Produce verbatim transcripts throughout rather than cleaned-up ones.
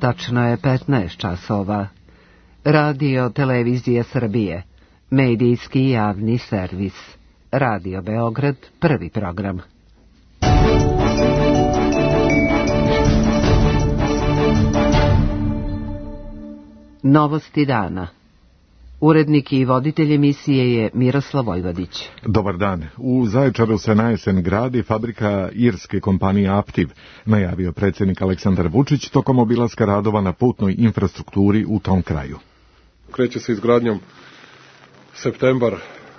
Tačno je petnaest časova. Radio Televizija Srbije, medijski javni servis. Radio Beograd, prvi program. Novosti dana. Urednik i voditelj emisije je Miroslav Vojvodić. Dobar dan. U Zaječaru se na jesen gradi fabrika irske kompanije Aptiv, najavio predsjednik Aleksandar Vučić tokom obilaska radova na putnoj infrastrukturi u tom kraju. Kreće se izgradnjom septembar,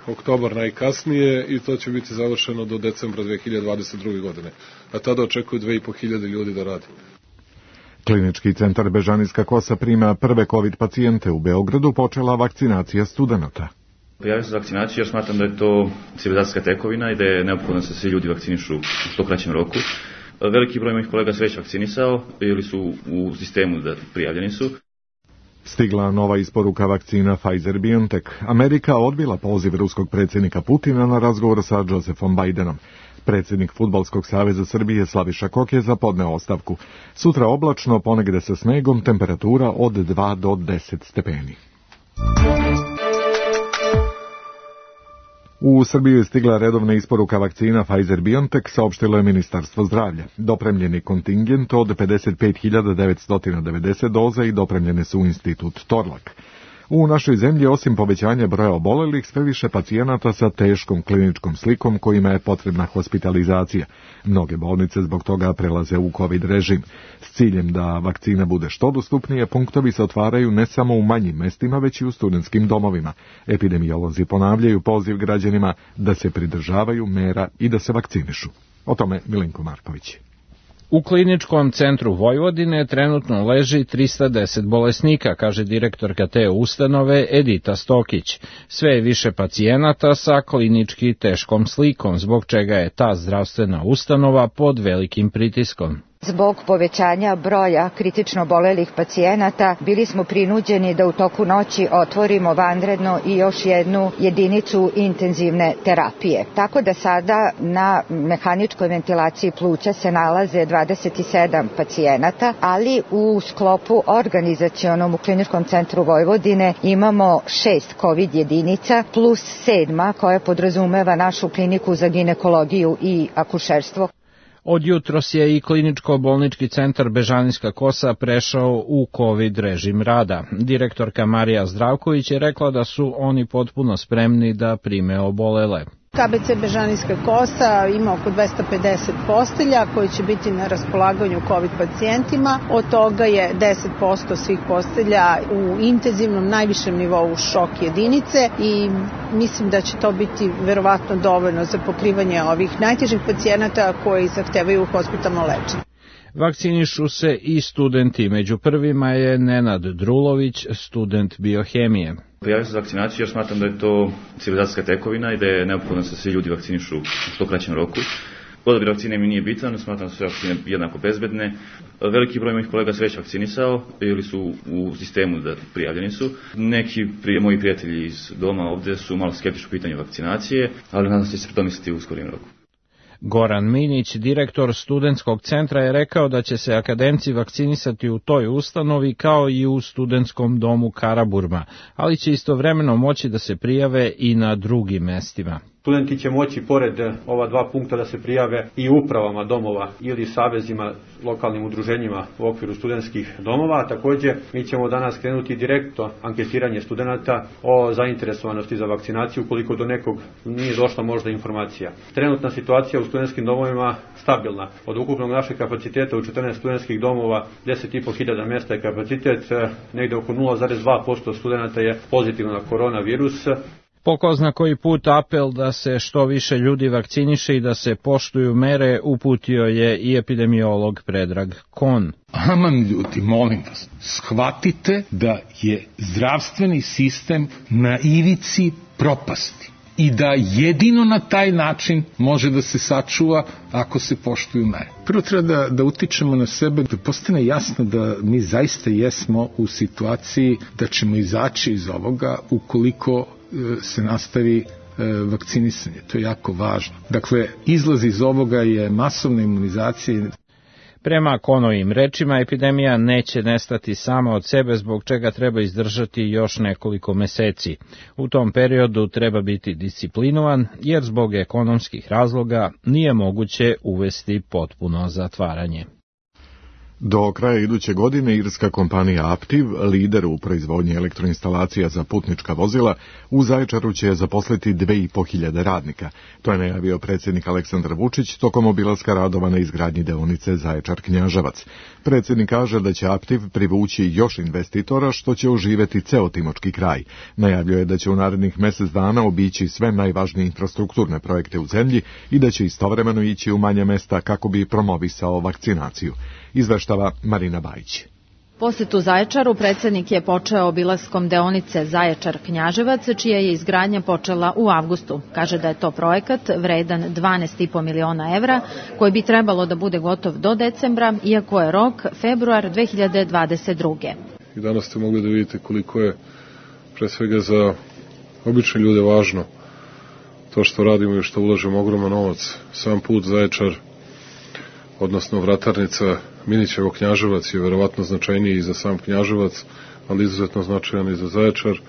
oktobar najkasnije i to će biti završeno do decembra dve hiljade dvadeset druge. godine. A tada očekuju dve i po hiljade ljudi da radi. Klinički centar Bežanijska kosa prima prve COVID pacijente. U Beogradu počela vakcinacija studenata. Prijavio sam za vakcinaciju jer smatram da je to civilizacijska tekovina i da je neophodno da se svi ljudi vakcinišu u što kraćem roku. Veliki broj mojih kolega se već vakcinisao ili su u sistemu da prijavljeni su. Stigla nova isporuka vakcina Pfizer-BioNTech. Amerika odbila poziv ruskog predsjednika Putina na razgovor sa Josephom Bidenom. Predsjednik Fudbalskog saveza Srbije Slaviša Kokez podneo ostavku. Sutra oblačno, ponegde sa snegom, temperatura od dva do deset stepeni. U Srbiju je stigla redovna isporuka vakcina Pfizer-BioNTech, saopštilo je Ministarstvo zdravlja. Dopremljeni kontingent od pedeset pet hiljada devetsto devedeset doza i dopremljene su u institut Torlak. U našoj zemlji, osim povećanja broja obolelih, sve više pacijenata sa teškom kliničkom slikom kojima je potrebna hospitalizacija. Mnoge bolnice zbog toga prelaze u COVID režim. S ciljem da vakcina bude što dostupnije, punktovi se otvaraju ne samo u manjim mestima, već i u studentskim domovima. Epidemiolozi ponavljaju poziv građanima da se pridržavaju mera i da se vakcinišu. O tome Milenko Marković. U kliničkom centru Vojvodine trenutno leži trista deset bolesnika, kaže direktorka te ustanove Edita Stokić. Sve je više pacijenata sa klinički teškom slikom, zbog čega je ta zdravstvena ustanova pod velikim pritiskom. Zbog povećanja broja kritično obolelih pacijenata bili smo prinuđeni da u toku noći otvorimo vanredno i još jednu jedinicu intenzivne terapije. Tako da sada na mehaničkoj ventilaciji pluća se nalaze dvadeset sedam pacijenata, ali u sklopu organizacionom u Kliničkom centru Vojvodine imamo šest COVID jedinica plus sedma koja podrazumeva našu kliniku za ginekologiju i akušerstvo. Od jutros je i kliničko-bolnički centar Bežanijska kosa prešao u COVID režim rada. Direktorka Marija Zdravković je rekla da su oni potpuno spremni da prime obolele. K B C Bežanijska kosa ima oko dvesta pedeset postelja koje će biti na raspolaganju COVID pacijentima. Od toga je deset posto svih postelja u intenzivnom najvišem nivou šok jedinice i mislim da će to biti verovatno dovoljno za pokrivanje ovih najtežih pacijenata koji zahtevaju hospitalno lečenje. Vakcinišu se i studenti. Među prvima je Nenad Drulović, student biohemije. Prijavio sam za vakcinaciju jer smatram da je to civilizacijska tekovina i da je neophodno da se svi ljudi vakcinišu u što kraćem roku. Odabir vakcine mi nije bitan, smatram da su vakcine jednako bezbedne. Veliki broj mojih kolega se već vakcinisao ili su u sistemu da prijavljeni su. Neki prije, moji prijatelji iz doma ovde su malo skeptični u pitanju vakcinacije, ali nadam se da će se predomisliti u skorim roku. Goran Minić, direktor studentskog centra, je rekao da će se akademci vakcinisati u toj ustanovi kao i u studentskom domu Karaburma, ali će istovremeno moći da se prijave i na drugim mestima. Studenti će moći pored ova dva punkta da se prijave i upravama domova ili savezima, lokalnim udruženjima u okviru studentskih domova. Također, mi ćemo danas krenuti direktno anketiranje studenata o zainteresovanosti za vakcinaciju ukoliko do nekog nije došla možda informacija. Trenutna situacija u studentskim domovima stabilna. Od ukupnog našeg kapaciteta u četrnaest studentskih domova deset i po hiljada mjesta je kapacitet, negde oko nula zarez dva posto studenata je pozitivno na koronavirus. Po ko zna koji put apel da se što više ljudi vakciniše i da se poštuju mere uputio je i epidemiolog Predrag Kon. Aman ljudi, molim vas, shvatite da je zdravstveni sistem na ivici propasti i da jedino na taj način može da se sačuva ako se poštuju mere. Prvo treba da, da utičemo na sebe, da postane jasno da mi zaista jesmo u situaciji da ćemo izaći iz ovoga ukoliko se nastavi vakcinisanje. To je jako važno. Dakle, izlaz iz ovoga je masovna imunizacija. Prema Konovim rečima, epidemija neće nestati sama od sebe, zbog čega treba izdržati još nekoliko meseci. U tom periodu treba biti disciplinovan, jer zbog ekonomskih razloga nije moguće uvesti potpuno zatvaranje. Do kraja iduće godine irska kompanija Aptiv, lider u proizvodnji elektroinstalacija za putnička vozila, u Zaječaru će zaposliti dve i po hiljade radnika. To je najavio predsjednik Aleksandar Vučić tokom obilaska radova na izgradnji deonice Zaječar-Knjaževac. Predsjednik kaže da će Aptiv privući još investitora, što će oživjeti ceo timočki kraj. Najavljuje da će u narednih mjesec dana obići sve najvažnije infrastrukturne projekte u zemlji i da će istovremeno ići u manja mesta kako bi promovisao vakcinaciju. Izveštava Marina Bajić. Posetu Zaječaru predsjednik je počeo obilaskom deonice Zaječar-Knjaževac, čija je izgradnja počela u avgustu. Kaže da je to projekat vredan dvanaest i po miliona evra, koji bi trebalo da bude gotov do decembra, iako je rok februar dve hiljade dvadeset druge. I danas ste mogli da vidite koliko je pre svega za obične ljude važno to što radimo i što ulažemo ogroman novac. Sam put Zaječar, odnosno vratarnica Minićevo Knjaževac je verovatno značajniji i za sam Knjaževac, ali izuzetno značajan i za Zaječar,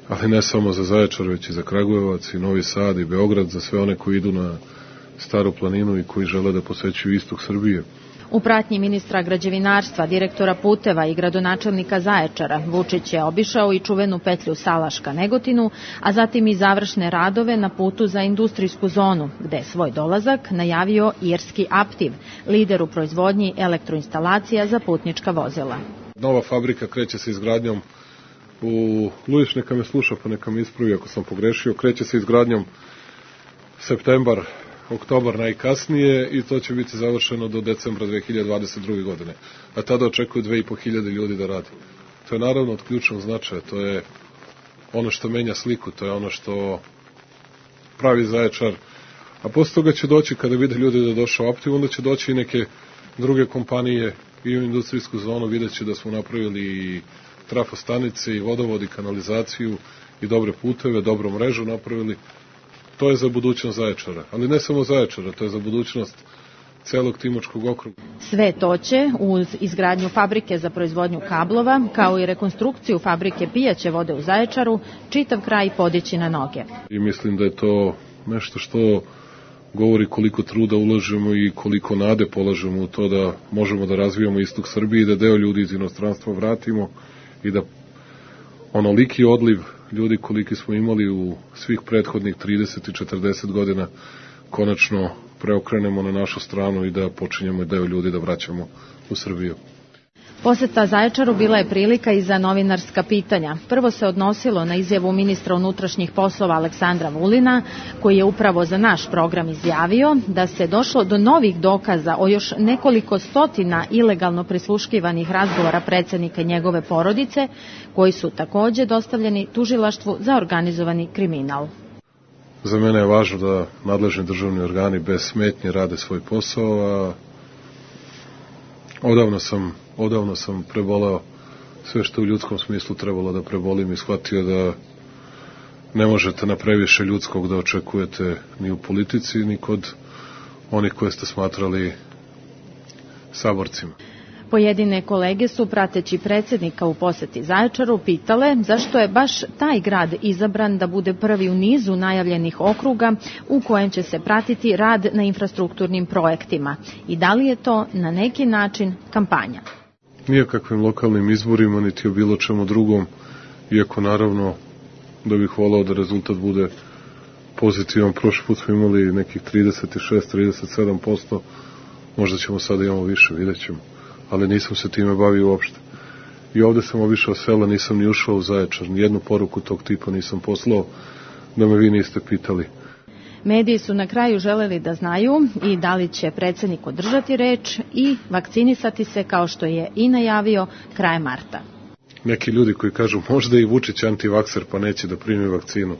ali ne samo za Zaječar, već i za Kragujevac i Novi Sad i Beograd, za sve one koji idu na Staru planinu i koji žele da posećuju istok Srbije. U pratnji ministra građevinarstva, direktora puteva i gradonačelnika Zaječara, Vučić je obišao i čuvenu petlju Salaška-Negotinu, a zatim i završne radove na putu za industrijsku zonu, gde je svoj dolazak najavio irski Aptiv, lider u proizvodnji elektroinstalacija za putnička vozila. Nova fabrika kreće se izgradnjom u Lujić, neka me sluša pa neka me ispravi ako sam pogrešio, kreće se izgradnjom septembar, oktobar najkasnije i to će biti završeno do decembra dve hiljade dvadeset druge. godine. A tada očekuju dve i po hiljade ljudi da radi. To je naravno od ključnog značaja, to je ono što menja sliku, to je ono što pravi Zaječar. A posle toga će doći, kada vide ljudi da je došao Aptiv, onda će doći i neke druge kompanije i u industrijsku zonu, vidjet će da smo napravili i trafostanice, i vodovod, i kanalizaciju, i dobre puteve, dobru mrežu napravili. To je za budućnost Zaječara, ali ne samo Zaječara, to je za budućnost celog Timočkog okruga. Sve to će, uz izgradnju fabrike za proizvodnju kablova, kao i rekonstrukciju fabrike pijaće vode u Zaječaru, čitav kraj podići na noge. I mislim da je to nešto što govori koliko truda ulažemo i koliko nade polažemo u to da možemo da razvijamo istok Srbije i da deo ljudi iz inostranstva vratimo i da onoliki odliv ljudi koliki smo imali u svih prethodnih trideset i četrdeset godina konačno preokrenemo na našu stranu i da počinjemo deo ljudi da vraćamo u Srbiju. Poseta Zaječaru bila je prilika i za novinarska pitanja. Prvo se odnosilo na izjavu ministra unutrašnjih poslova Aleksandra Vulina, koji je upravo za naš program izjavio da se došlo do novih dokaza o još nekoliko stotina ilegalno prisluškivanih razgovora predsjednika i njegove porodice, koji su takođe dostavljeni tužilaštvu za organizovani kriminal. Za mene je važno da nadležni državni organi bez smetnje rade svoj posao, a odavno sam Odavno sam preboleo sve što u ljudskom smislu trebalo da prebolim i shvatio da ne možete na previše ljudskog da očekujete ni u politici, ni kod onih koje ste smatrali saborcima. Pojedine kolege su, prateći predsjednika u poseti Zaječaru, pitale zašto je baš taj grad izabran da bude prvi u nizu najavljenih okruga u kojem će se pratiti rad na infrastrukturnim projektima i da li je to na neki način kampanja. Nijakakvim lokalnim izborima, niti o bilo čemu drugom, iako naravno da bih volao da rezultat bude pozitivan. Prošli put smo imali nekih trideset šest do trideset sedam posto, možda ćemo sada imamo više, vidjet ćemo, ali nisam se time bavio uopšte. I ovde sam obišao sela, nisam ni ušao u Zaječar, nijednu poruku tog tipa nisam poslao, da me vi niste pitali. Mediji su na kraju želeli da znaju i da li će predsjednik održati reč i vakcinisati se kao što je i najavio krajem marta. Neki ljudi koji kažu možda i Vučić antivakser pa neće da primi vakcinu.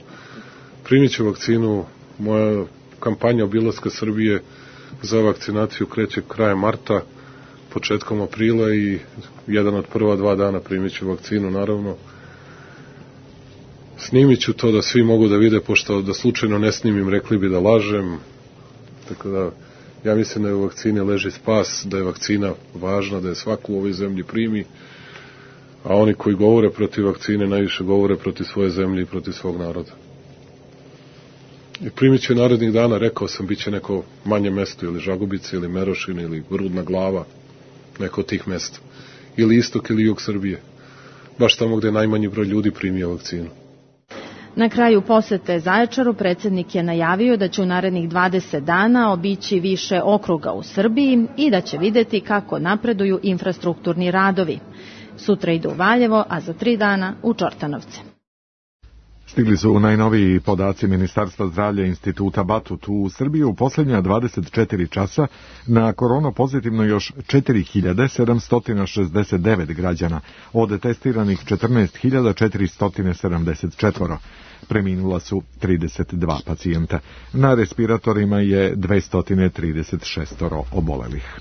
Primit ću vakcinu, moja kampanja obilaska Srbije za vakcinaciju kreće krajem marta, početkom aprila i jedan od prva dva dana primit ću vakcinu, naravno. Snimit ću to da svi mogu da vide, pošto da slučajno ne snimim, rekli bi da lažem. Tako da Ja mislim da je u vakcini leži spas, da je vakcina važna, da je svaku u ovoj zemlji primi, a oni koji govore protiv vakcine najviše govore protiv svoje zemlje i protiv svog naroda. I primit će narednih dana, rekao sam, bit će neko manje mesto, ili Žagubice, ili Merošina, ili Rudna Glava, neko od tih mesta. Ili istok, ili jug Srbije. Baš tamo gde je najmanji broj ljudi primio vakcinu. Na kraju posete Zaječaru predsjednik je najavio da će u narednih dvadeset dana obići više okruga u Srbiji i da će videti kako napreduju infrastrukturni radovi. Sutra idu u Valjevo, a za tri dana u Čortanovce. Stigli su najnoviji podaci Ministarstva zdravlja Instituta Batut. U Srbiji u posljednja dvadeset četiri časa na koronu pozitivno još četiri hiljade sedamsto šezdeset devet građana, od testiranih četrnaest hiljada četiristo sedamdeset četiri. Preminula su trideset dva pacijenta. Na respiratorima je dvesta trideset šest obolelih.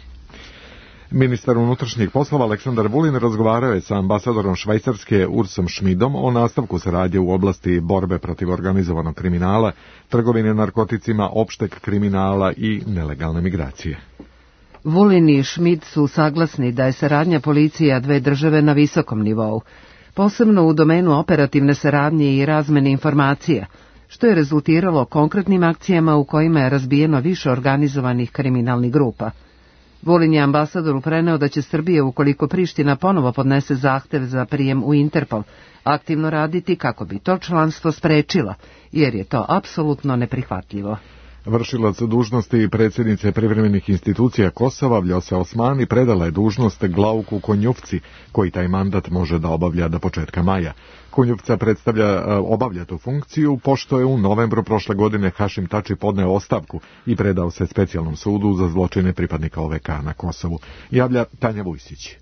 Ministar unutrašnjih poslova Aleksandar Vulin razgovarao je sa ambasadorom Švajcarske Ursom Šmidom o nastavku saradnje u oblasti borbe protiv organizovanog kriminala, trgovine narkoticima, opšteg kriminala i nelegalne migracije. Vulin i Šmid su saglasni da je saradnja policija dve države na visokom nivou, posebno u domenu operativne saradnje i razmene informacija, što je rezultiralo konkretnim akcijama u kojima je razbijeno više organizovanih kriminalnih grupa. Vulin je ambasadoru preneo da će Srbija, ukoliko Priština ponovo podnese zahtev za prijem u Interpol, aktivno raditi kako bi to članstvo sprečila, jer je to apsolutno neprihvatljivo. Vršilac dužnosti predsjednice privremenih institucija Kosova Vljosa Osmani predala je dužnost Glauku Konjufci, koji taj mandat može da obavlja do početka maja. Konjufca predstavlja obavlja tu funkciju, pošto je u novembru prošle godine Hašim Tači podneo ostavku i predao se specijalnom sudu za zločine pripadnika O V K na Kosovu. Javlja Tanja Vujsić.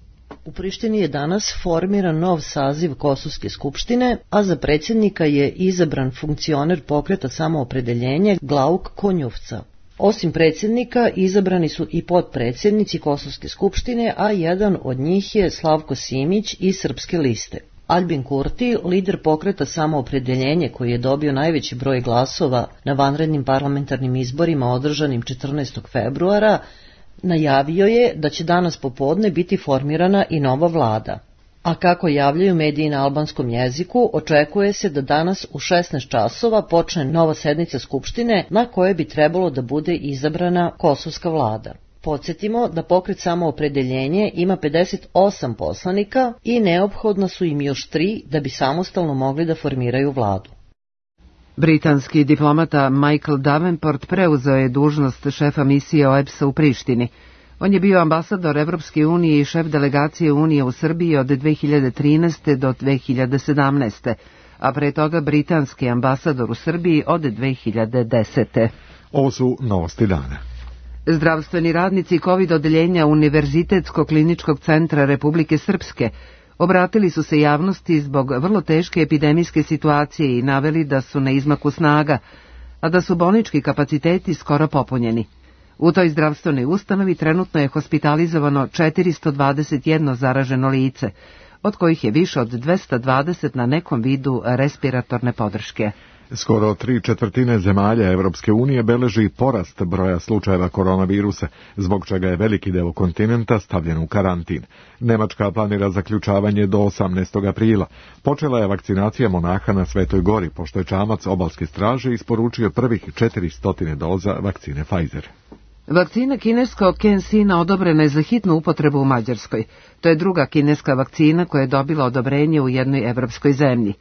U Prištini je danas formiran nov saziv Kosovske skupštine, a za predsjednika je izabran funkcioner pokreta Samoopredeljenje Glauk Konjufca. Osim predsjednika, izabrani su i potpredsjednici Kosovske skupštine, a jedan od njih je Slavko Simić iz Srpske liste. Albin Kurti, lider pokreta Samoopredeljenje koji je dobio najveći broj glasova na vanrednim parlamentarnim izborima održanim četrnaestog februara, najavio je da će danas popodne biti formirana i nova vlada. A kako javljaju mediji na albanskom jeziku, očekuje se da danas u šesnaest časova počne nova sednica Skupštine na kojoj bi trebalo da bude izabrana kosovska vlada. Podsjetimo da pokret Samoopredeljenje ima pedeset osam poslanika i neophodno su im još tri da bi samostalno mogli da formiraju vladu. Britanski diplomata Michael Davenport preuzeo je dužnost šefa misije O E B S-a u Prištini. On je bio ambasador Evropske unije i šef delegacije Unije u Srbiji od dve hiljade trinaeste. do dve hiljade sedamnaeste. a pre toga britanski ambasador u Srbiji od dve hiljade desete. Ovo su novosti dana. Zdravstveni radnici COVID odeljenja Univerzitetskog kliničkog centra Republike Srpske obratili su se javnosti zbog vrlo teške epidemijske situacije i naveli da su na izmaku snaga, a da su bolnički kapaciteti skoro popunjeni. U toj zdravstvenoj ustanovi trenutno je hospitalizovano četiristo dvadeset jedno zaraženo lice, od kojih je više od dvesta dvadeset na nekom vidu respiratorne podrške. Skoro tri četvrtine zemalja Evropske unije beleži porast broja slučajeva koronavirusa, zbog čega je veliki deo kontinenta stavljen u karantin. Nemačka planira zaključavanje do osamnaestog aprila. Počela je vakcinacija monaha na Svetoj Gori, pošto je čamac obalske straže isporučio prvih četiristo doza vakcine Pfizer. Vakcina kineskog CanSina odobrena je za hitnu upotrebu u Mađarskoj. To je druga kineska vakcina koja je dobila odobrenje u jednoj evropskoj zemlji.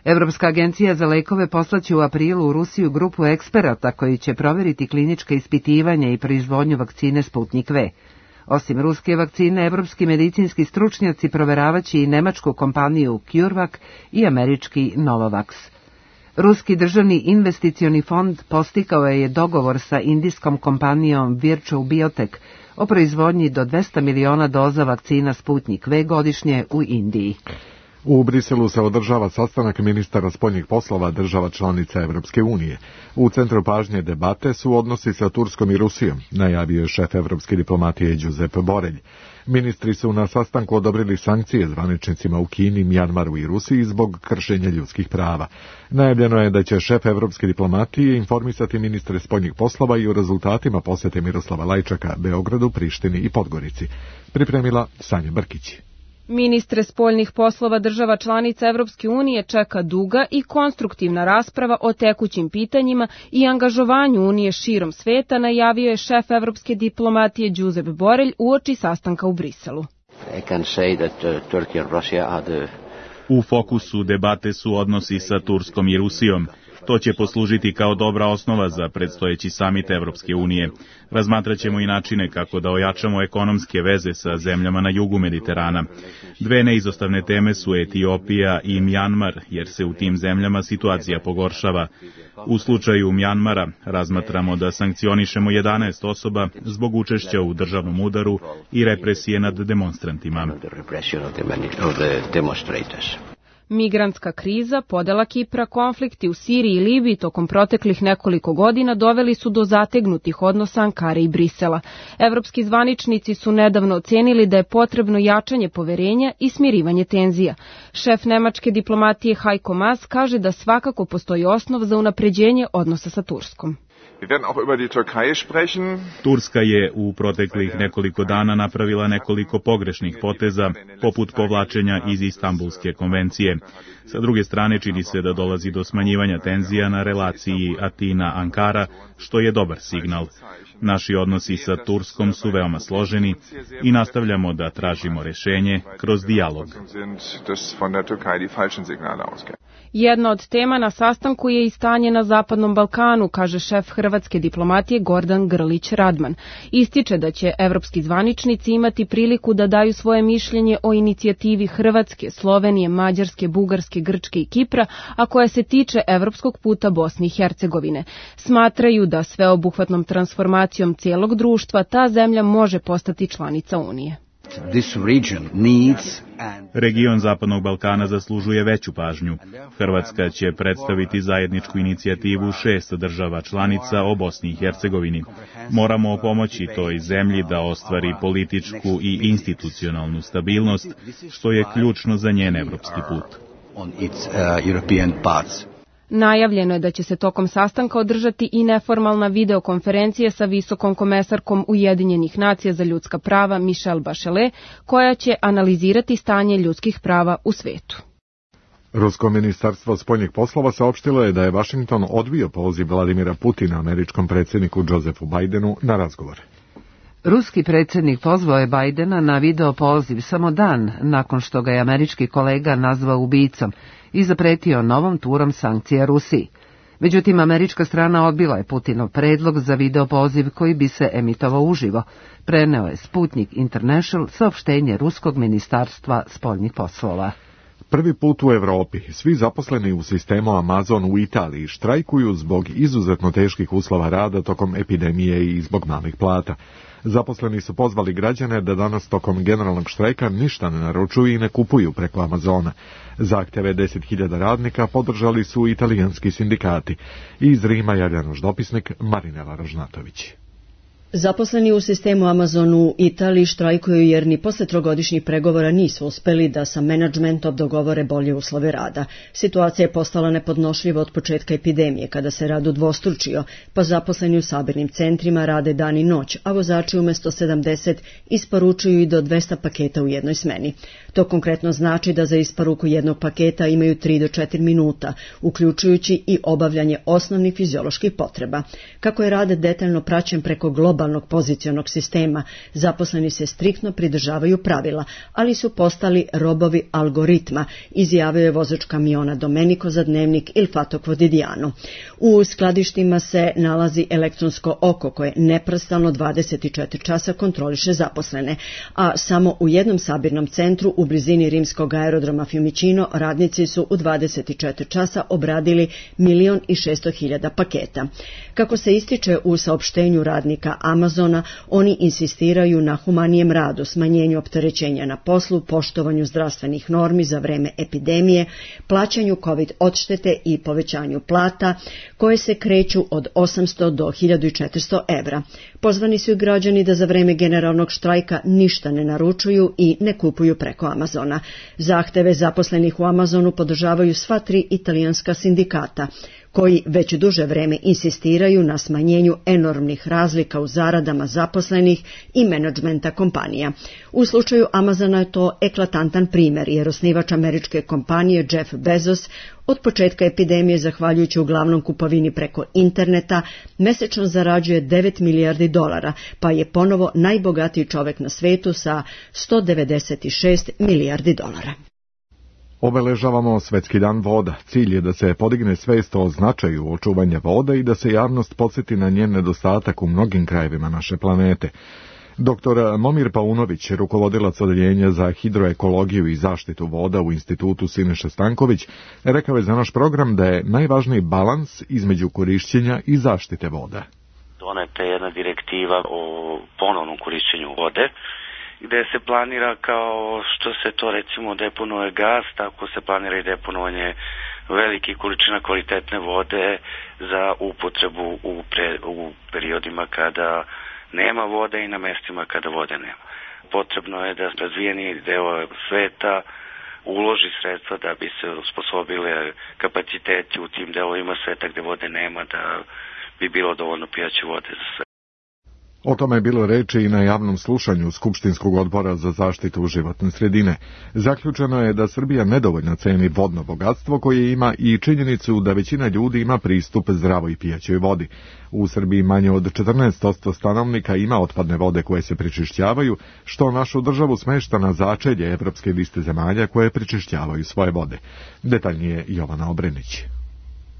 Evropska agencija za lekove poslaće u aprilu u Rusiju grupu eksperata koji će proveriti klinička ispitivanja i proizvodnju vakcine Sputnik V. Osim ruske vakcine, evropski medicinski stručnjaci proveravaće i nemačku kompaniju CureVac i američki Novavax. Ruski državni investicioni fond postikao je dogovor sa indijskom kompanijom Virchow Biotech o proizvodnji do dvesta miliona doza vakcina Sputnik V godišnje u Indiji. U Briselu se održava sastanak ministara spoljnih poslova država članica Evropske unije. U centru pažnje debate su odnosi sa Turskom i Rusijom, najavio je šef evropske diplomatije Giuseppe Borelj. Ministri su na sastanku odobrili sankcije zvaničnicima u Kini, Mjanmaru i Rusiji zbog kršenja ljudskih prava. Najavljeno je da će šef evropske diplomatije informisati ministre spoljnih poslova i o rezultatima posete Miroslava Lajčaka Beogradu, Prištini i Podgorici. Pripremila Sanja Brkić. Ministre spoljnih poslova država članica Evropske unije čeka duga i konstruktivna rasprava o tekućim pitanjima i angažovanju Unije širom sveta, najavio je šef evropske diplomatije Josep Borrell uoči sastanka u Briselu. U fokusu debate su odnosi sa Turskom i Rusijom. To će poslužiti kao dobra osnova za predstojeći samit Evropske unije. Razmatraćemo i načine kako da ojačamo ekonomske veze sa zemljama na jugu Mediterana. Dve neizostavne teme su Etiopija i Mjanmar, jer se u tim zemljama situacija pogoršava. U slučaju Mjanmara razmatramo da sankcionišemo jedanaest osoba zbog učešća u državnom udaru i represije nad demonstrantima. Migrantska kriza, podela Kipra, konflikti u Siriji i Libiji tokom proteklih nekoliko godina doveli su do zategnutih odnosa Ankare i Brisela. Evropski zvaničnici su nedavno ocenili da je potrebno jačanje poverenja i smirivanje tenzija. Šef nemačke diplomatije Heiko Maas kaže da svakako postoji osnov za unapređenje odnosa sa Turskom. Turska je u proteklih nekoliko dana napravila nekoliko pogrešnih poteza, poput povlačenja iz Istanbulske konvencije. Sa druge strane, čini se da dolazi do smanjivanja tenzija na relaciji Atina-Ankara, što je dobar signal. Naši odnosi sa Turskom su veoma složeni i nastavljamo da tražimo rešenje kroz dijalog. Jedna od tema na sastanku je i stanje na Zapadnom Balkanu, kaže šef hrvatske diplomatije Gordan Grlić Radman. Ističe da će evropski zvaničnici imati priliku da daju svoje mišljenje o inicijativi Hrvatske, Slovenije, Mađarske, Bugarske, Grčke i Kipra, a koja se tiče evropskog puta Bosne i Hercegovine. Smatraju da sveobuhvatnom transformacijom cijelog društva ta zemlja može postati članica Unije. Region Zapadnog Balkana zaslužuje veću pažnju. Hrvatska će predstaviti zajedničku inicijativu šest država članica o Bosni i Hercegovini. Moramo pomoći toj zemlji da ostvari političku i institucionalnu stabilnost, što je ključno za njen evropski put. Najavljeno je da će se tokom sastanka održati i neformalna videokonferencija sa visokom komesarkom Ujedinjenih nacija za ljudska prava Michelle Bachelet, koja će analizirati stanje ljudskih prava u svetu. Rusko ministarstvo spoljnih poslova saopštilo je da je Washington odbio poziv Vladimira Putina američkom predsjedniku Josefu Bidenu na razgovor. Ruski predsjednik pozvao je Bidena na video poziv samo dan nakon što ga je američki kolega nazvao ubicom i zapretio novom turom sankcija Rusiji. Međutim, američka strana odbila je Putinov predlog za video poziv koji bi se emitovao uživo, preneo je Sputnik International saopštenje Ruskog ministarstva spoljnih poslova. Prvi put u Evropi svi zaposleni u sistemu Amazon u Italiji štrajkuju zbog izuzetno teških uslova rada tokom epidemije i zbog malih plata. Zaposleni su pozvali građane da danas tokom generalnog štrajka ništa ne naručuju i ne kupuju preko Amazona. Zahtjeve deset hiljada radnika podržali su italijanski sindikati. Iz Rima javlja naš dopisnik Marinela Ražnatović. Zaposleni u sistemu Amazon u Italiji štrajkuju jer ni posle trogodišnjih pregovora nisu uspeli da sa menadžmentom dogovore bolje uslove rada. Situacija je postala nepodnošljiva od početka epidemije, kada se rad udvostručio, pa zaposleni u sabirnim centrima rade dan i noć, a vozači umjesto sedamdeset isporučuju i do dvesta paketa u jednoj smeni. To konkretno znači da za isporuku jednog paketa imaju tri do četiri minuta, uključujući i obavljanje osnovnih fizioloških potreba. Kako je rad detaljno praćen preko globalnog pozicionog sistema, zaposleni se striktno pridržavaju pravila, ali su postali robovi algoritma, izjavio je vozač kamiona Domenico za dnevnik Il Fatto Quotidiano. U skladištima se nalazi elektronsko oko koje neprestano dvadeset četiri časa kontroliše zaposlene, a samo u jednom sabirnom centru u blizini rimskog aerodroma Fiumicino radnici su u dvadeset četiri časa obradili milion i šesto hiljada paketa. Kako se ističe u saopštenju radnika Amazona, oni insistiraju na humanijem radu, smanjenju opterećenja na poslu, poštovanju zdravstvenih normi za vreme epidemije, plaćanju COVID odštete i povećanju plata, koje se kreću od osamsto do hiljadu četiristo evra. Pozvani su i građani da za vreme generalnog štrajka ništa ne naručuju i ne kupuju preko Amazona. Zahteve zaposlenih u Amazonu podržavaju sva tri italijanska sindikata, koji već duže vreme insistiraju na smanjenju enormnih razlika u zaradama zaposlenih i menadžmenta kompanija. U slučaju Amazona je to eklatantan primjer, jer osnivač američke kompanije Jeff Bezos od početka epidemije, zahvaljujući uglavnom kupovini preko interneta, mesečno zarađuje devet milijardi dolara, pa je ponovo najbogatiji čovjek na svetu sa sto devedeset šest milijardi dolara. Obeležavamo Svetski dan voda. Cilj je da se podigne svest o značaju očuvanja voda i da se javnost podsjeti na njen nedostatak u mnogim krajevima naše planete. Doktor Momir Paunović, rukovodilac odeljenja za hidroekologiju i zaštitu voda u institutu Siniša Stanković, rekao je za naš program da je najvažniji balans između korišćenja i zaštite voda. Doneta je jedna direktiva o ponovnom korišćenju vode, gde se planira kao što se to recimo deponuje gas, tako se planira i deponovanje velikih količina kvalitetne vode za upotrebu u, pre, u periodima kada nema vode i na mestima kada vode nema. Potrebno je da razvijeni deo sveta uloži sredstva da bi se usposobile kapaciteti u tim delovima sveta gde vode nema, da bi bilo dovoljno pijaće vode za sve. O tome je bilo reči i na javnom slušanju Skupštinskog odbora za zaštitu životne sredine. Zaključeno je da Srbija nedovoljno ceni vodno bogatstvo koje ima i činjenicu da većina ljudi ima pristup zdravoj pijaćoj vodi. U Srbiji manje od četrnaest posto stanovnika ima otpadne vode koje se prečišćavaju, što našu državu smešta na začelje evropske liste zemalja koje prečišćavaju svoje vode. Detaljnije Jovana Obrenić.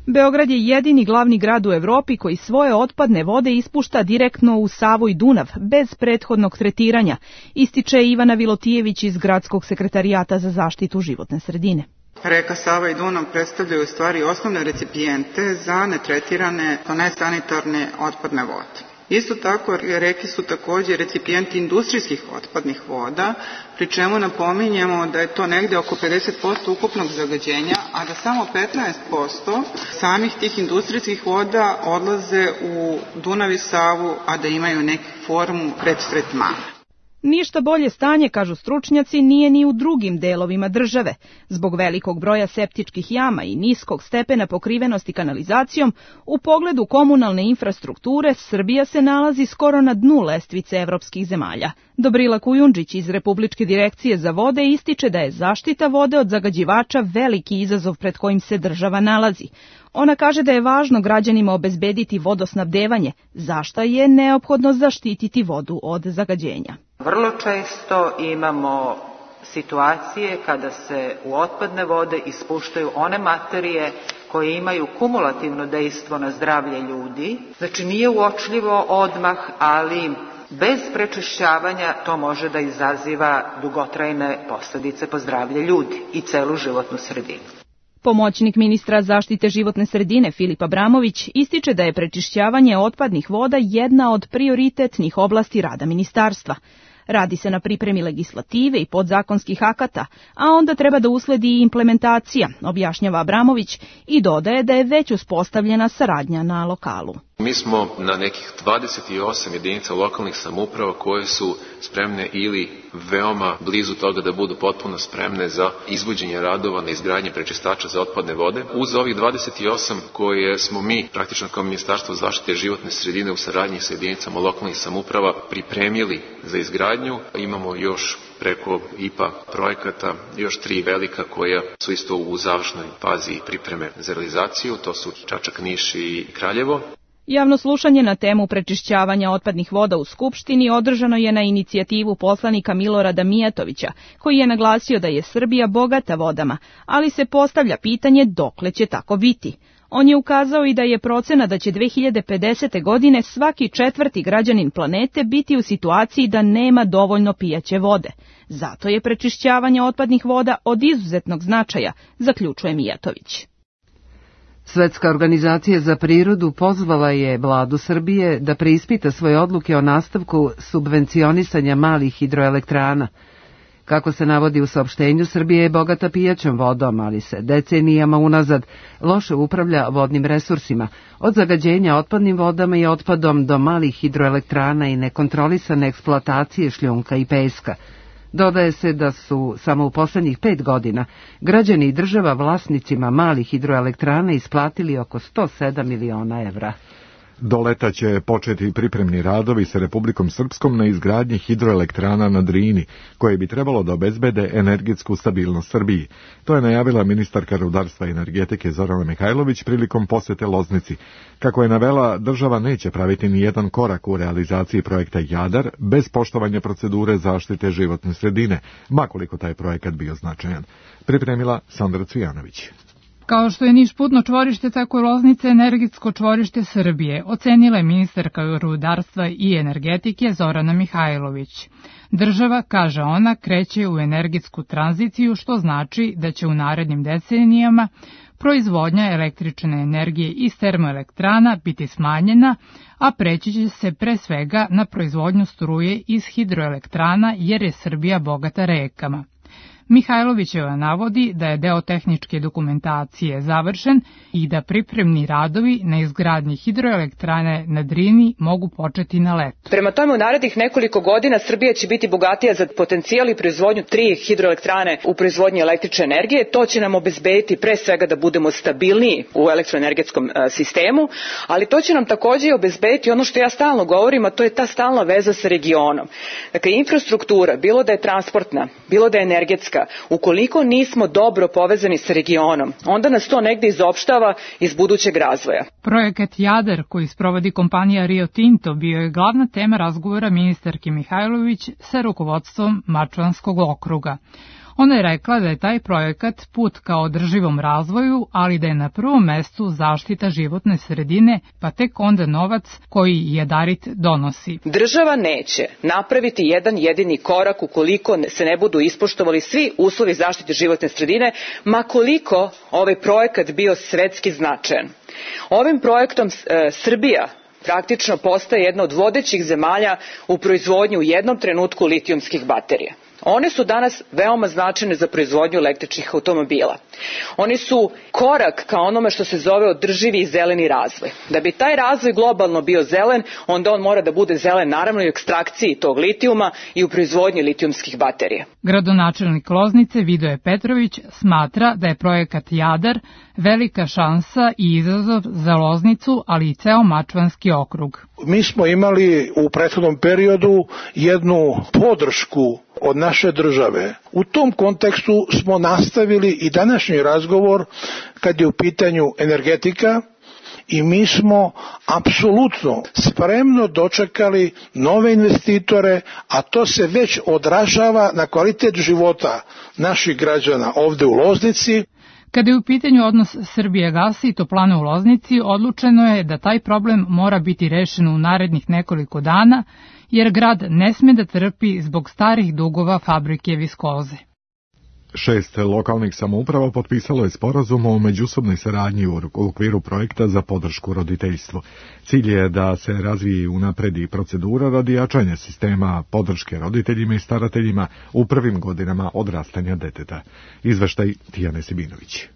Beograd je jedini glavni grad u Evropi koji svoje otpadne vode ispušta direktno u Savu i Dunav, bez prethodnog tretiranja, ističe Ivana Vilotijević iz Gradskog sekretarijata za zaštitu životne sredine. Reka Sava i Dunav predstavljaju u stvari osnovne recipijente za netretirane, nesanitarne otpadne vode. Isto tako, reke su također recipijenti industrijskih otpadnih voda, pri čemu napominjemo da je to negde oko pedeset posto ukupnog zagađenja, a da samo petnaest posto samih tih industrijskih voda odlaze u Dunav i Savu, a da imaju neku formu predtretmana. Ništa bolje stanje, kažu stručnjaci, nije ni u drugim delovima države. Zbog velikog broja septičkih jama i niskog stepena pokrivenosti kanalizacijom, u pogledu komunalne infrastrukture Srbija se nalazi skoro na dnu lestvice evropskih zemalja. Dobrila Kujundžić iz Republičke direkcije za vode ističe da je zaštita vode od zagađivača veliki izazov pred kojim se država nalazi. Ona kaže da je važno građanima obezbediti vodosnabdevanje, zašta je neophodno zaštititi vodu od zagađenja. Vrlo često imamo situacije kada se u otpadne vode ispuštaju one materije koje imaju kumulativno dejstvo na zdravlje ljudi. Znači nije uočljivo odmah, ali bez prečišćavanja to može da izaziva dugotrajne posljedice po zdravlje ljudi i celu životnu sredinu. Pomoćnik ministra zaštite životne sredine Filip Abramović ističe da je prečišćavanje otpadnih voda jedna od prioritetnih oblasti rada ministarstva. Radi se na pripremi legislative i podzakonskih akata, a onda treba da usledi i implementacija, objašnjava Abramović i dodaje da je već uspostavljena saradnja na lokalu. Mi smo na nekih dvadeset osam jedinica lokalnih samouprava koje su spremne ili veoma blizu toga da budu potpuno spremne za izvođenje radova na izgradnji prečistača za otpadne vode. Uz ovih dvadeset osam koje smo mi praktično kao Ministarstvo zaštite životne sredine u saradnji sa jedinicama lokalnih samouprava pripremili za izgradnju, imamo još preko I P A projekata još tri velika koja su isto u završnoj fazi pripreme za realizaciju, to su Čačak, Niš i Kraljevo. Javno slušanje na temu prečišćavanja otpadnih voda u Skupštini održano je na inicijativu poslanika Milorada Mijatovića, koji je naglasio da je Srbija bogata vodama, ali se postavlja pitanje dokle će tako biti. On je ukazao i da je procena da će dve hiljade pedesete. godine svaki četvrti građanin planete biti u situaciji da nema dovoljno pijaće vode. Zato je prečišćavanje otpadnih voda od izuzetnog značaja, zaključuje Mijatović. Svetska organizacija za prirodu pozvala je vladu Srbije da preispita svoje odluke o nastavku subvencionisanja malih hidroelektrana. Kako se navodi u saopštenju, Srbija je bogata pijaćom vodom, ali se decenijama unazad loše upravlja vodnim resursima, od zagađenja otpadnim vodama i otpadom do malih hidroelektrana i nekontrolisane eksploatacije šljunka i peska. Dodaje se da su samo u poslednjih pet godina građani i država vlasnicima malih hidroelektrana isplatili oko sto sedam miliona evra. Do leta će početi pripremni radovi sa Republikom Srpskom na izgradnji hidroelektrana na Drini, koje bi trebalo da obezbede energetsku stabilnost Srbiji. To je najavila ministarka rudarstva i energetike Zorana Mihajlović prilikom posete Loznici. Kako je navela, država neće praviti ni jedan korak u realizaciji projekta Jadar bez poštovanja procedure zaštite životne sredine, makoliko taj projekat bio značajan. Pripremila Sandra Cvijanović. Kao što je Niš putno čvorište, tako je Loznica energetsko čvorište Srbije, ocenila je ministarka rudarstva i energetike Zorana Mihajlović. Država, kaže ona, kreće u energetsku tranziciju, što znači da će u narednim decenijama proizvodnja električne energije iz termoelektrana biti smanjena, a preći će se pre svega na proizvodnju struje iz hidroelektrana jer je Srbija bogata rekama. Mihajlovićeva navodi da je deo tehničke dokumentacije završen i da pripremni radovi na izgradnji hidroelektrane na Drini mogu početi na leto. Prema tome, u narednih nekoliko godina Srbija će biti bogatija za potencijal i proizvodnju tri hidroelektrane u proizvodnji električne energije. To će nam obezbediti pre svega da budemo stabilniji u elektroenergetskom sistemu, ali to će nam takođe obezbediti ono što ja stalno govorim, a to je ta stalna veza sa regionom. Dakle, infrastruktura, bilo da je transportna, bilo da je energetska, ukoliko nismo dobro povezani sa regionom, onda nas to negde izopštava iz budućeg razvoja. Projekat Jadar, koji sprovodi kompanija Rio Tinto, bio je glavna tema razgovora ministarke Mihajlović sa rukovodstvom Mačvanskog okruga. Ona je rekla da je taj projekat put ka održivom razvoju, ali da je na prvom mestu zaštita životne sredine, pa tek onda novac koji Jadarit donosi. Država neće napraviti jedan jedini korak ukoliko se ne budu ispoštovali svi uslovi zaštite životne sredine, ma koliko ovaj projekat bio svetski značajan. Ovim projektom e, Srbija praktično postaje jedna od vodećih zemalja u proizvodnju u jednom trenutku litijumskih baterija. One su danas veoma značajne za proizvodnju električnih automobila. Oni su korak ka onome što se zove održivi i zeleni razvoj. Da bi taj razvoj globalno bio zelen, onda on mora da bude zelen naravno i u ekstrakciji tog litijuma i u proizvodnji litijumskih baterija. Gradonačelnik Loznice Vidoje Petrović smatra da je projekat Jadar velika šansa i izazov za Loznicu, ali i ceo Mačvanski okrug. Mi smo imali u prethodnom periodu jednu podršku od naše države. U tom kontekstu smo nastavili i današnji razgovor kad je u pitanju energetika i mi smo apsolutno spremno dočekali nove investitore, a to se već odražava na kvalitet života naših građana ovde u Loznici. Kada je u pitanju odnos Srbijagasa i toplane u Loznici, odlučeno je da taj problem mora biti rešen u narednih nekoliko dana, jer grad ne sme da trpi zbog starih dugova fabrike viskoze. Šest lokalnih samouprava potpisalo je sporazum o međusobnoj saradnji u okviru projekta za podršku roditeljstvu. Cilj je da se razvije i unapredi procedura radi jačanja sistema podrške roditeljima i starateljima u prvim godinama odrastanja deteta. Izveštaj Tijane Sibinović.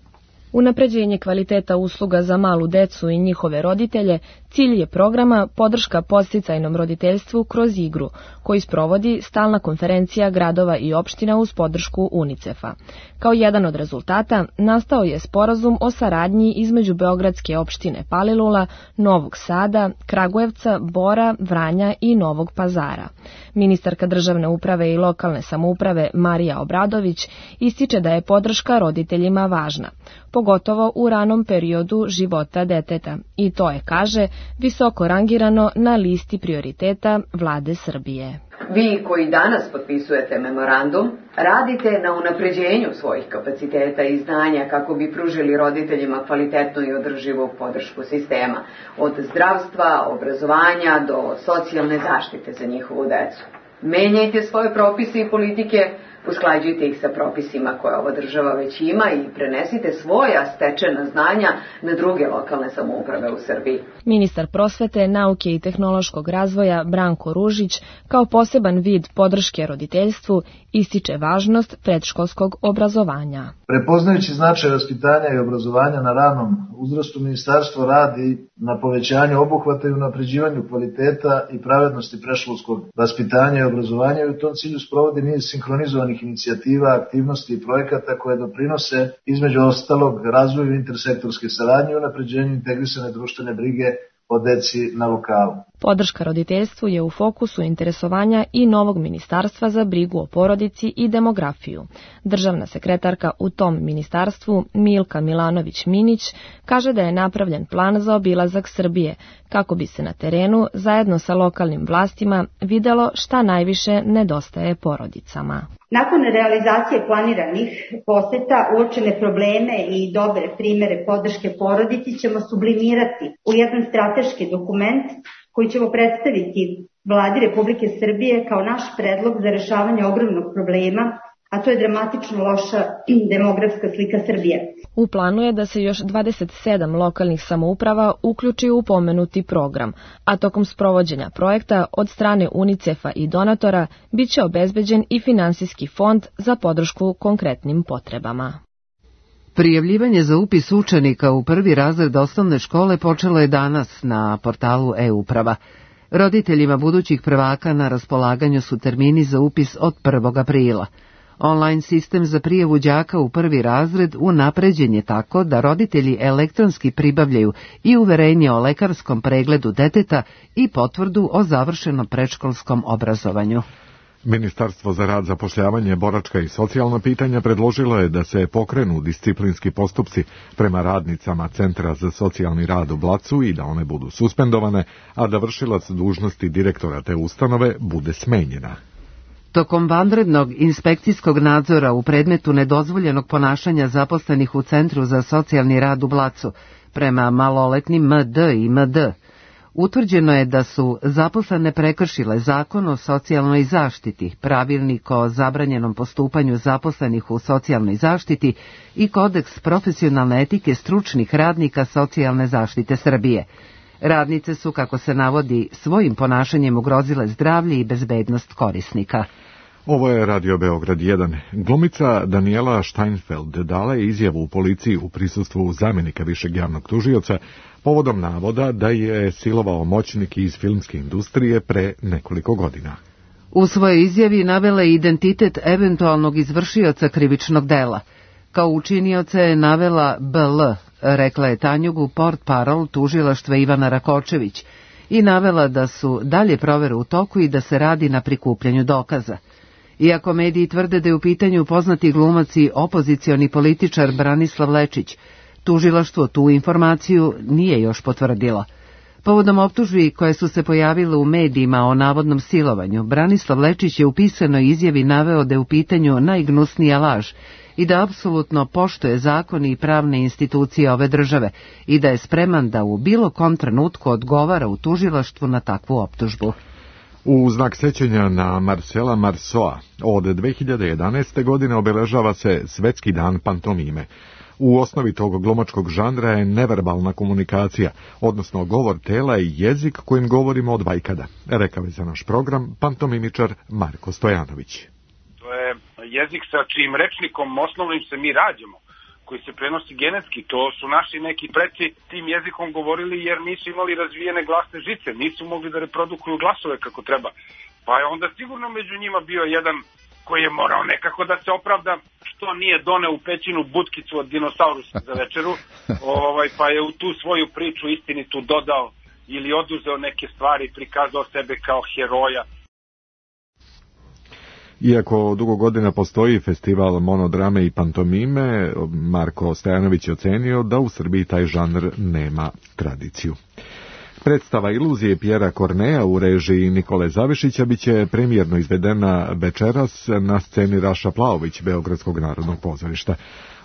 Unapređenje kvaliteta usluga za malu decu i njihove roditelje cilj je programa Podrška podsticajnom roditeljstvu kroz igru, koji sprovodi stalna konferencija gradova i opština uz podršku UNICEF-a. Kao jedan od rezultata nastao je sporazum o saradnji između Beogradske opštine Palilula, Novog Sada, Kragujevca, Bora, Vranja i Novog Pazara. Ministarka državne uprave i lokalne samouprave Marija Obradović ističe da je podrška roditeljima važna, pogotovo u ranom periodu života deteta, i to je, kaže, visoko rangirano na listi prioriteta Vlade Srbije. Vi koji danas potpisujete memorandum, radite na unapređenju svojih kapaciteta i znanja kako bi pružili roditeljima kvalitetnu i održivu podršku sistema, od zdravstva, obrazovanja do socijalne zaštite za njihovu decu. Menjajte svoje propise i politike usklađujte ih sa propisima koje ova država već ima i prenesite svoja stečena znanja na druge lokalne samouprave u Srbiji. Ministar prosvete, nauke i tehnološkog razvoja Branko Ružić kao poseban vid podrške roditeljstvu ističe važnost predškolskog obrazovanja. Prepoznajući značaj vaspitanja i obrazovanja na ranom uzrastu, ministarstvo radi na povećanju obuhvata i unapređivanju kvaliteta i pravednosti predškolskog vaspitanja i obrazovanja i u tom cilju sprovodi niz sinhronizovanih inicijativa, aktivnosti i projekata koje doprinose između ostalog razvoju intersektorske saradnje i unapređenju integrisane društvene brige o deci na lokalu. Podrška roditeljstvu je u fokusu interesovanja i novog ministarstva za brigu o porodici i demografiju. Državna sekretarka u tom ministarstvu Milka Milanović-Minić kaže da je napravljen plan za obilazak Srbije kako bi se na terenu zajedno sa lokalnim vlastima videlo šta najviše nedostaje porodicama. Nakon realizacije planiranih poseta, uočene probleme i dobre primere podrške porodici ćemo sublimirati u jedan strateški dokument koji ćemo predstaviti Vladi Republike Srbije kao naš predlog za rešavanje ogromnog problema, a to je dramatično loša demografska slika Srbije. U planu je da se još dvadeset sedam lokalnih samouprava uključi u pomenuti program, a tokom sprovođenja projekta od strane UNICEF-a i donatora biće obezbeđen i finansijski fond za podršku konkretnim potrebama. Prijavljivanje za upis učenika u prvi razred osnovne škole počelo je danas na portalu e-uprava. Roditeljima budućih prvaka na raspolaganju su termini za upis od prvog aprila. Online sistem za prijavu đaka u prvi razred unapređen je tako da roditelji elektronski pribavljaju i uverenje o lekarskom pregledu deteta i potvrdu o završenom predškolskom obrazovanju. Ministarstvo za rad, zapošljavanje, boračka i socijalna pitanja predložilo je da se pokrenu disciplinski postupci prema radnicama Centra za socijalni rad u Blacu i da one budu suspendovane, a da vršilac dužnosti direktora te ustanove bude smenjena. Tokom vanrednog inspekcijskog nadzora u predmetu nedozvoljenog ponašanja zaposlenih u Centru za socijalni rad u Blacu prema maloletnim M D i M D, utvrđeno je da su zaposlene prekršile Zakon o socijalnoj zaštiti, Pravilnik o zabranjenom postupanju zaposlenih u socijalnoj zaštiti i Kodeks profesionalne etike stručnih radnika socijalne zaštite Srbije. Radnice su, kako se navodi, svojim ponašanjem ugrozile zdravlje i bezbednost korisnika. Ovo je Radio Beograd jedan. Glumica Daniela Steinfeld dala je izjavu u policiji u prisustvu zamjenika višeg javnog tužioca povodom navoda da je silovao moćnik iz filmske industrije pre nekoliko godina. U svojoj izjavi navela je identitet eventualnog izvršioca krivičnog dela. Kao učinioca je navela B L, rekla je Tanjugu portparol tužilaštva Ivana Rakočević, i navela da su dalje provere u toku i da se radi na prikupljanju dokaza. Iako mediji tvrde da je u pitanju poznati glumac i opozicioni političar Branislav Lečić, tužilaštvo tu informaciju nije još potvrdilo. Povodom optužbi koje su se pojavile u medijima o navodnom silovanju, Branislav Lečić je u pisanoj izjavi naveo da je u pitanju najgnusnija laž i da apsolutno poštuje zakon i pravne institucije ove države i da je spreman da u bilo kom trenutku odgovara u tužilaštvu na takvu optužbu. U znak sećanja na Marcela Marceau od dve hiljade jedanaeste. godine obeležava se Svetski dan pantomime. U osnovi tog glumačkog žanra je neverbalna komunikacija, odnosno govor tela i jezik kojim govorimo od vajkada, rekao je za naš program pantomimičar Marko Stojanović. To je jezik sa čijim rečnikom osnovnim se mi rađamo, koji se prenosi genetski. To su naši neki preci tim jezikom govorili jer nisu imali razvijene glasne žice, nisu mogli da reprodukuju glasove kako treba. Pa je onda sigurno među njima bio jedan koji je morao nekako da se opravda što nije doneo u pećinu butkicu od dinosaurusa za večeru, ovaj, pa je u tu svoju priču istinitu dodao ili oduzeo neke stvari, prikazao sebe kao heroja. Iako dugo godina postoji festival monodrame i pantomime, Marko Stojanović je ocenio da u Srbiji taj žanr nema tradiciju. Predstava Iluzije Pjera Korneja u režiji Nikole Zavišića biće premijerno izvedena večeras na sceni Raša Plaović Beogradskog narodnog pozorišta.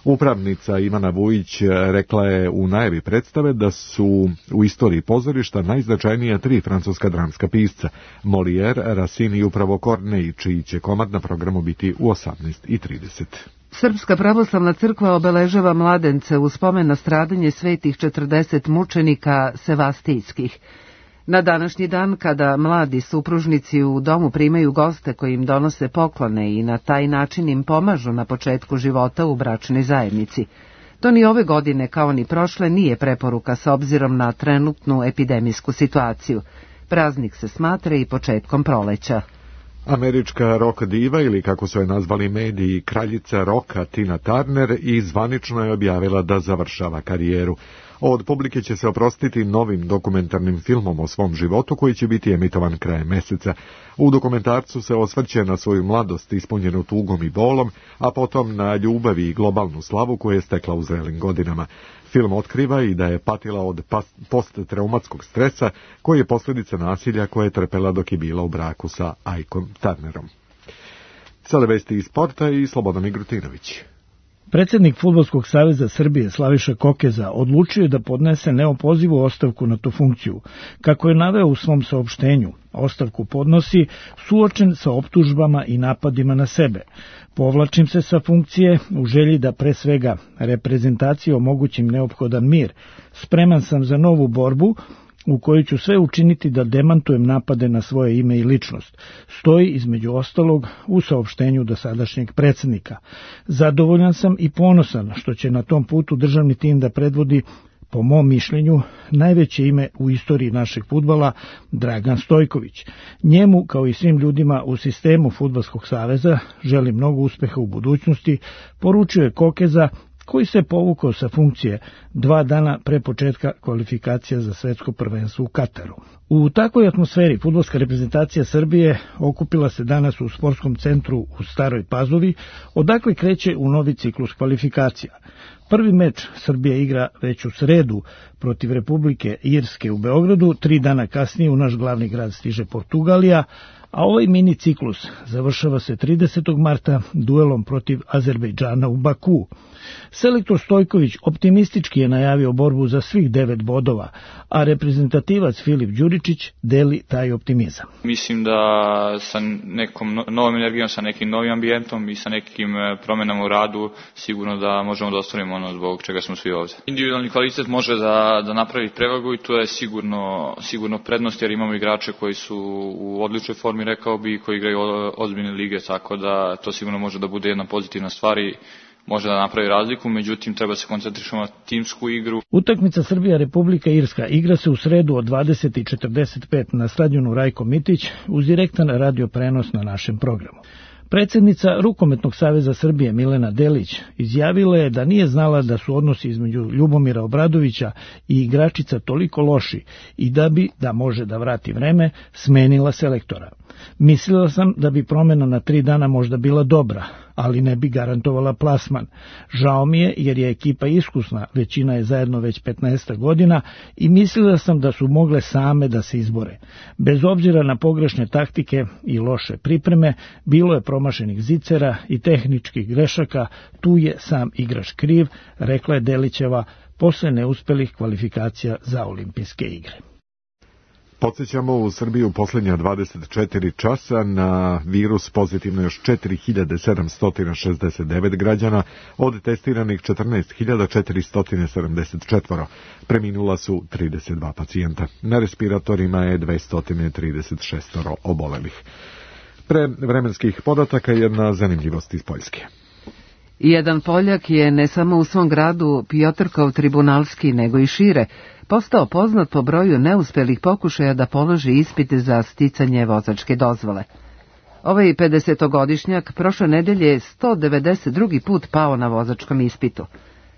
Upravnica Ivana Vujić rekla je u najavi predstave da su u istoriji pozorišta najznačajnija tri francuska dramska pisca, Molière, Racine i upravo Corneille, čiji će komad na programu biti u osamnaest i trideset. Srpska pravoslavna crkva obeležava mladence u spomen na stradanje svetih četrdeset mučenika sevastijskih. Na današnji dan, kada mladi supružnici u domu primaju goste koji im donose poklone i na taj način im pomažu na početku života u bračnoj zajednici. To ni ove godine, kao ni prošle, nije preporuka s obzirom na trenutnu epidemijsku situaciju. Praznik se smatra i početkom proleća. Američka rock diva, ili kako su je nazvali mediji, kraljica roka Tina Turner, i zvanično je objavila da završava karijeru. Od publike će se oprostiti novim dokumentarnim filmom o svom životu koji će biti emitovan krajem meseca. U dokumentarcu se osvrće na svoju mladost ispunjenu tugom i bolom, a potom na ljubavi i globalnu slavu koju je stekla u zrelim godinama. Film otkriva i da je patila od posttraumatskog stresa koji je posljedica nasilja koje je trpela dok je bila u braku sa Aikom Turnerom. Sada vesti iz sporta i Slobodan Migrutinović. Predsjednik Fudbalskog saveza Srbije Slaviša Kokeza odlučio je da podnese neopozivu ostavku na tu funkciju. Kako je naveo u svom saopštenju, ostavku podnosi suočen sa optužbama i napadima na sebe. Povlačim se sa funkcije u želji da pre svega reprezentaciji omogućim neophodan mir. Spreman sam za novu borbu u kojoj ću sve učiniti da demantujem napade na svoje ime i ličnost, stoji između ostalog u saopštenju dosadašnjeg predsjednika. Zadovoljan sam i ponosan što će na tom putu državni tim da predvodi, po mom mišljenju, najveće ime u istoriji našeg fudbala, Dragan Stojković. Njemu, kao i svim ljudima u sistemu Fudbalskog saveza, želim mnogo uspeha u budućnosti, poručio je Kokeza, koji se povukao sa funkcije dva dana pre početka kvalifikacija za svetsko prvenstvo u Kataru. U takvoj atmosferi fudbalska reprezentacija Srbije okupila se danas u sportskom centru u Staroj Pazovi, odakle kreće u novi ciklus kvalifikacija. Prvi meč Srbija igra već u sredu protiv Republike Irske u Beogradu, tri dana kasnije u naš glavni grad stiže Portugalija, a ovaj mini ciklus završava se tridesetog marta duelom protiv Azerbejdžana u Baku. Selektor Stojković optimistički je najavio borbu za svih devet bodova, a reprezentativac Filip Đuričić deli taj optimizam. Mislim da sa nekom novom energijom, sa nekim novim ambijentom i sa nekim promenama u radu sigurno da možemo da ostvarimo ono zbog čega smo svi ovdje. Individualni kvalitet može da, da napravi prevagu i to je sigurno, sigurno prednost jer imamo igrače koji su u odličnoj formi, rekao bi, koji igraju ozbiljne lige, tako da to sigurno može da bude jedna pozitivna stvar i može da napravi razliku, međutim treba se koncentrirati na timsku igru. Utakmica Srbija-Republika Irska igra se u sredu od dvadeset i četrdeset pet na stadionu Rajko Mitić uz direktan radio prenos na našem programu. Predsjednica Rukometnog saveza Srbije Milena Delić izjavila je da nije znala da su odnosi između Ljubomira Obradovića i igračica toliko loši i da bi, da može da vrati vreme, smenila selektora. Mislila sam da bi promjena na tri dana možda bila dobra, ali ne bi garantovala plasman. Žao mi je jer je ekipa iskusna, većina je zajedno već petnaest godina i mislila sam da su mogle same da se izbore. Bez obzira na pogrešne taktike i loše pripreme, bilo je promašenih zicera i tehničkih grešaka, tu je sam igrač kriv, rekla je Delićeva posle neuspelih kvalifikacija za olimpijske igre. Podsjećamo, u Srbiji u posljednja dvadeset četiri časa na virus pozitivno još četiri hiljade sedamsto šezdeset devet građana, od testiranih četrnaest hiljada četiristo sedamdeset četiri. Preminula su trideset dva pacijenta. Na respiratorima je dvesta trideset šest obolelih. Pre vremenskih podataka jedna zanimljivost iz Poljske. Jedan Poljak je ne samo u svom gradu Piotrkov tribunalski, nego i šire, postao poznat po broju neuspjelih pokušaja da položi ispite za sticanje vozačke dozvole. Ovaj pedesetogodišnjak prošle nedelje je sto devedeset drugi put pao na vozačkom ispitu.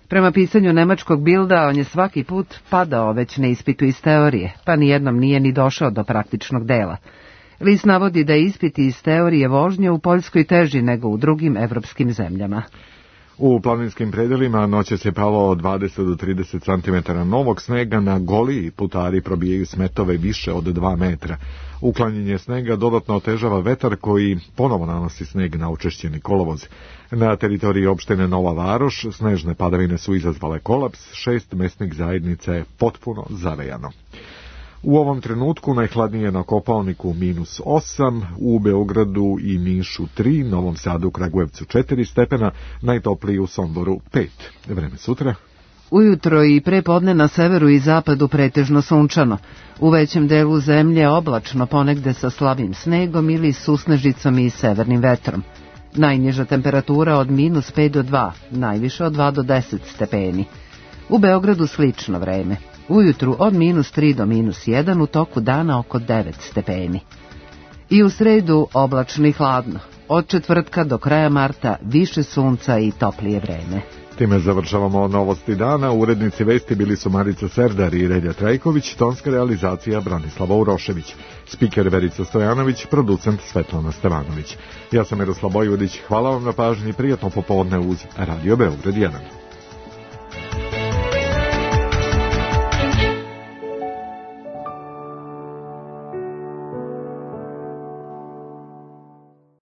Prema pisanju nemačkog Bilda, on je svaki put padao već na ispitu iz teorije, pa nijednom nije ni došao do praktičnog dela. List navodi da je ispit iz teorije vožnje u Poljskoj teži nego u drugim evropskim zemljama. U planinskim predelima noćas je palo dvadeset do trideset centimetara novog snega, na Goliji putari probijaju smetove više od dva metra. Uklanjanje snega dodatno otežava vetar koji ponovo nanosi sneg na učešćeni kolovoz. Na teritoriji opštine Nova Varoš snežne padavine su izazvale kolaps, šest mesnih zajednica je potpuno zavejano. U ovom trenutku najhladnije na Kopaoniku minus osam, u Beogradu i Nišu tri, Novom Sadu, Kragujevcu četiri stepena, najtopliji u Somboru pet. Vreme sutra. Ujutro i prepodne na severu i zapadu pretežno sunčano. U većem delu zemlje oblačno, ponegde sa slabim snegom ili susnežicom i severnim vetrom. Najniža temperatura od minus pet do dva, najviše od dva do deset stepeni. U Beogradu slično vreme. Ujutru od minus tri do minus jedan, u toku dana oko devet stepeni. I u sredu oblačno i hladno. Od četvrtka do kraja marta više sunca i toplije vreme. Time završavamo novosti dana. Urednici vesti bili su Marica Serdar i Relja Trajković, tonska realizacija Branislava Urošević, spiker Verica Stojanović, producent Svetlana Stevanović. Ja sam Miroslav Bojvodić, hvala vam na pažnji, prijatno popodne uz Radio Beograd jedan.